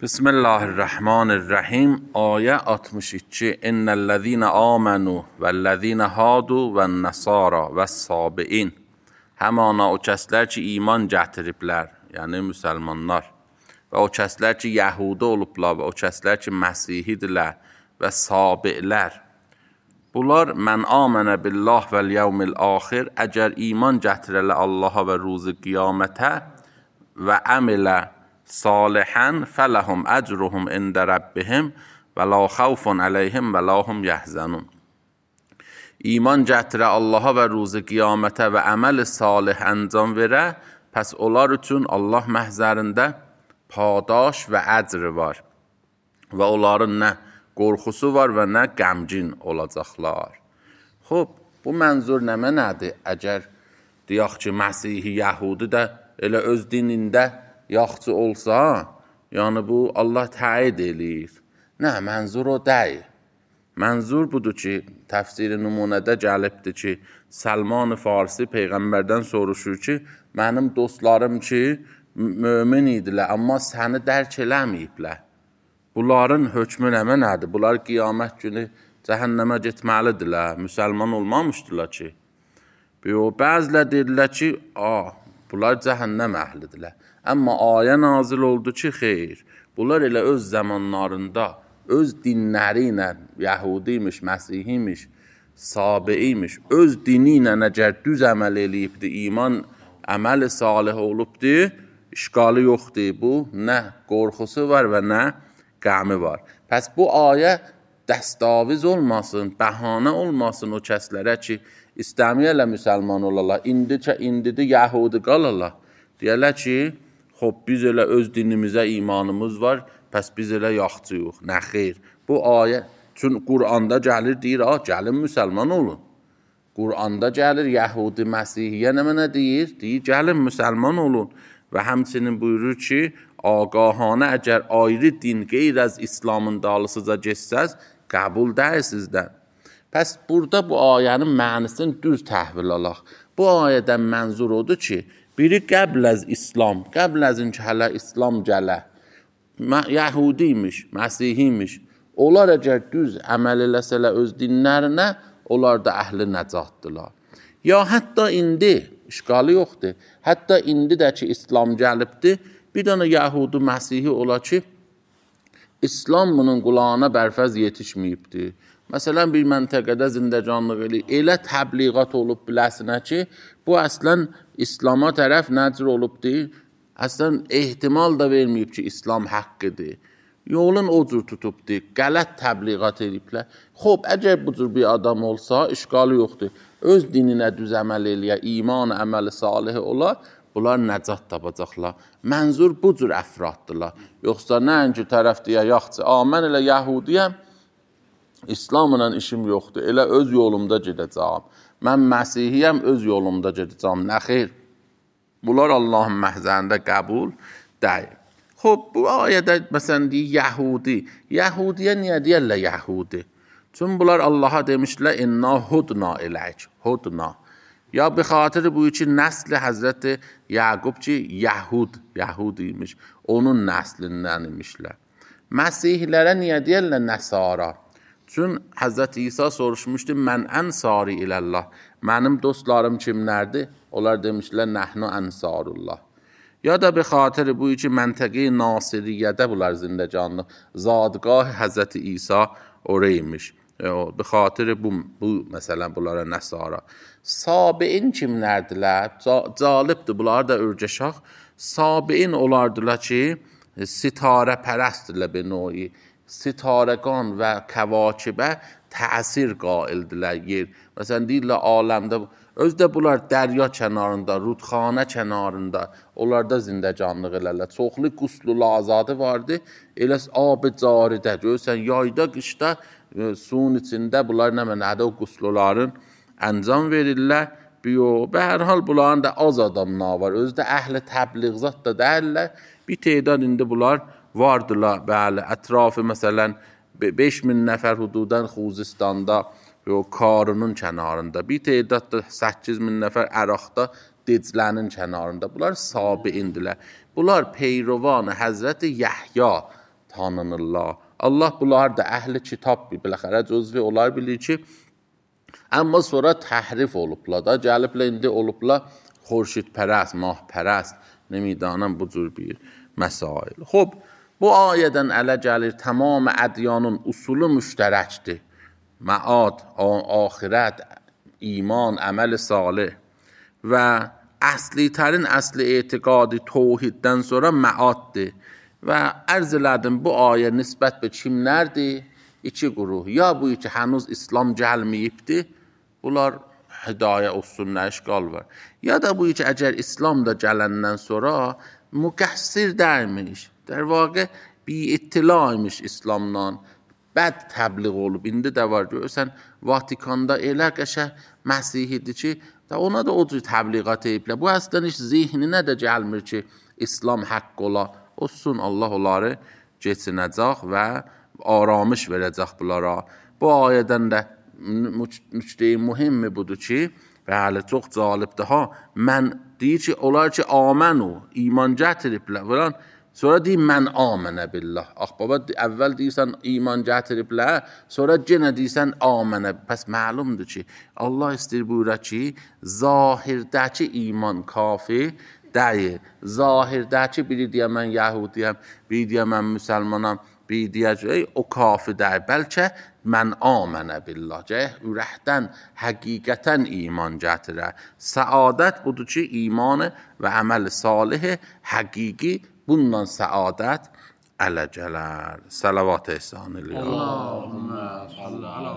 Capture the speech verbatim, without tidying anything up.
بسم الله الرحمن الرحیم. آیه altmış iki. ان الذين آمنوا والذين هادوا والنصارى والصابئين. Həmana o kəslər ki iman gətiriblər, yəni müsəlmanlar və o kəslər ki yəhudi olublar və o kəslər ki məsihidirlər və sabi'lər. Bunlar mən amənə billah vəl yevmil axir, əgər iman gətirələ Allaha və ruzu qiyamətə və əmilə salihən fələhum əcruhum ində rəbbihim və la xavfun əleyhim və la hum yəhzənun. İman gətirə Allaha və ruzu qiyamətə və əməl-i salih əncam verə, pəs onlar üçün Allah məhzərində padaş və əcri var və onların nə qorxusu var və nə qəmgin olacaqlar. Xub, bu mənzur nə mənədir? Əgər deyək ki, Məsihi Yəhudi də elə öz dinində yaxçı olsa, yəni bu Allah təid eləyir. Nə, mənzur o deyil. Mənzur budur ki, təfsiri nümunədə gəlibdir ki, Səlman-ı Farsi Peyğəmbərdən soruşur ki, mənim dostlarım ki, mömin idilər, amma səni dərk eləməyiblər. Bunların hökmü nə mənədir? Bunlar qiyamət günü cəhənnəmə getməlidirlər, müsəlman olmamışdılar ki. Bəzilər deyirlər ki, ah, bunlar cəhənnəm əhlidirlər. Amma ayə nazil oldu ki, xeyr, bunlar elə öz zamanlarında, öz dinləri ilə, Yəhudiymiş, Məsihiymiş, Sabiiymiş, öz dini ilə əgər düz əməl eləyibdir, iman əməl salih olubdur, işqalı yoxdur bu, nə qorxusu var və nə qəmi var. Pəs bu ayə dəstaviz olmasın, bəhanə olmasın o kəslərə ki, istəmiyələ müsəlman olarlar, indicə indidir Yəhudi qalarlar. Deyərlər ki, xob, biz elə öz dinimizə imanımız var, pəs biz elə yaxçı yox, nə xeyr. Bu ayə, çünki Quranda gəlir, deyir, ah, gəlin müsəlman olun. Quranda gəlir, Yəhudi, Məsihiyyə nə mənə deyir? Deyir, gəlin müsəlman olun. Və həmçinin buyurur ki, ağahanə əgər ayrı din qeyr az İslamın dalısıca geçsəz, qəbul deyil sizdən. Pəs burada bu ayənin mənisini düz təhvil alaq. Bu ayədən mənzur odur ki, biri qəbl az İslam, qəbl az ki, hələ İslam gələ, Yəhudiymiş, Məsihiymiş, onlar əgər düz əməl eləsələ öz dinlərinə, onlar da əhli nəcatdırlar. Ya hətta indi, işqalı yoxdur, hətta indi də ki, İslam gəlibdir, bir dənə Yəhudi, Məsihi ola ki, İslam bunun qulağına bərfəz yetişməyibdir. Məsələn, bir məntəqədə zindəcanlıq eləyir, elə təbliğat olub biləsinə ki, bu əslən İslama tərəf nəcr olubdur, əslən ehtimal da verməyib ki, İslam haqqıdır. Yolun o cür tutubdur, qələt təbliğat ediblər. Xob, əgər bu cür bir adam olsa, işqalı yoxdur, öz dininə düz əməl eləyə, iman əməli salihi ola, bunlar nəcat tapacaqlar. Mənzur bu cür əfraddırlar. Yoxsa nəinki tərəf deyə, yaxçı, a, mən elə Yəhudiyəm, İslamla işim yoxdur, elə öz yolumda gedəcəm. Mən Məsihiyəm, öz yolumda gedəcəm, nə xeyr. Bunlar Allahın məhzərində qəbul deyil. Xob, bu ayədə məsələn deyir, Yəhudi. Yəhudiyə niyə deyərlər Yəhudi? Çünki bunlar Allaha demişlər, inna hudna eləyik, hudna. Ya bir xatiri bu ki, nəsli Həzrəti Yaqub ki, Yəhud, Yəhud imiş, onun nəslindən imişlər. Məsihlərə niyə deyərlər Nəsara? Çünki Həzrəti İsa soruşmuşdu, mən ənsari iləllah, mənim dostlarım kimlərdir? Onlar demişlər, nəhnu ənsarullah. Ya da bir xatiri bu ki, məntəqi Nasiriyyədə bunlar zindəcanlı, zadgah Həzrəti İsa oraymış. Bir xatiri bu, bu məsələn, bunlara Nəsara. Sabiin kimlərdilər? Calibdir, bunlar da örgəşaq. Sabiin olardılar ki, sitarə pərəstdirlər bir nöyi. Sitarəqan və kəvakibə təsir qaildilər yer. Məsələn, deyirlər, aləmdə, özdə bunlar dərya kənarında, rudxanə kənarında, onlarda zindəcanlıq elərlər. Çoxlu quslul azadı vardı, elə ab-ı caridə, görürsən, yayda, qışda, suyun içində bunlar nə mənədə o qusluların əncam verirlər. Bə hər hal bunların da az adamlar var, özdə əhli təbliğzat da dəyirlər. Bir teydad indi bunlar vardılar, bəli, ətrafı məsələn, beş min nəfər hududan Xuzistanda, Karunun kənarında, bir teydad da səkkiz min nəfər Əraqda, Diclənin kənarında. Bunlar sabiindilər. Bunlar peyrovan Həzrəti Yəhya tanınırlar. Allah bunlar da əhli kitab bir, biləxərə cüzvi onlar bilir ki, amma sonra təhrif olublar da, gəliblər indi olublar xurşid pərəst, mah pərəst, nemidanəm bu cür bir məsail. Xob, bu ayədən ələ gəlir tamam ədyanın usulu müştərəkdir. Məad, axirət, iman, əməl salih və əsli tərin əsli etiqadi توحیدdən sonra məaddir. Və ərz elədim bu ayə nisbət به kimlərdir? İki quruh. Ya bu ki hənuz İslam gəlməyibdir, bunlar hidayə olsunlar, işgal var. Ya da bu ki əgər İslam da gələndən sonra müqəssir dərmiş, در واقع bی ittilaymış İslamdan, bəd təbliğ olub. İndi də var, görürsən, Vatikanda elə qəşə Məsihidir ki, da ona da o cür təbliğat eyiblər. Bu əslən heç zihninə də gəlmir ki, İslam haqq ola. Olsun, Allah onları geçinəcək və aramış verəcək bunlara. Bu ayədən də nüqtə-i mühimmi budur ki, bəli, çox cəlibdir ha, mən deyir ki, onlar ki, amenu, iman gətiriblər, sonra deyir, mən amənə billah. Ax, baba, əvvəl deyirsən, iman gətiriblər, sonra yenə deyirsən, amənə. Pəs məlumdur ki, Allah istəyir buyura ki, zahirdəki iman kafi deyir. Zahirdəki biri deyə mən Yəhudiyəm, biri deyə mən müsəlmanam, biri deyə o kafi deyir. Bəlkə mən amənə billah. Cəh, ürəkdən, həqiqətən iman gətirə. Səadət budur ki, imanı və əməl salih həqiqi bundan səadət ələ gələr. Salavat ehsan eləyər. Allahümmə salli ala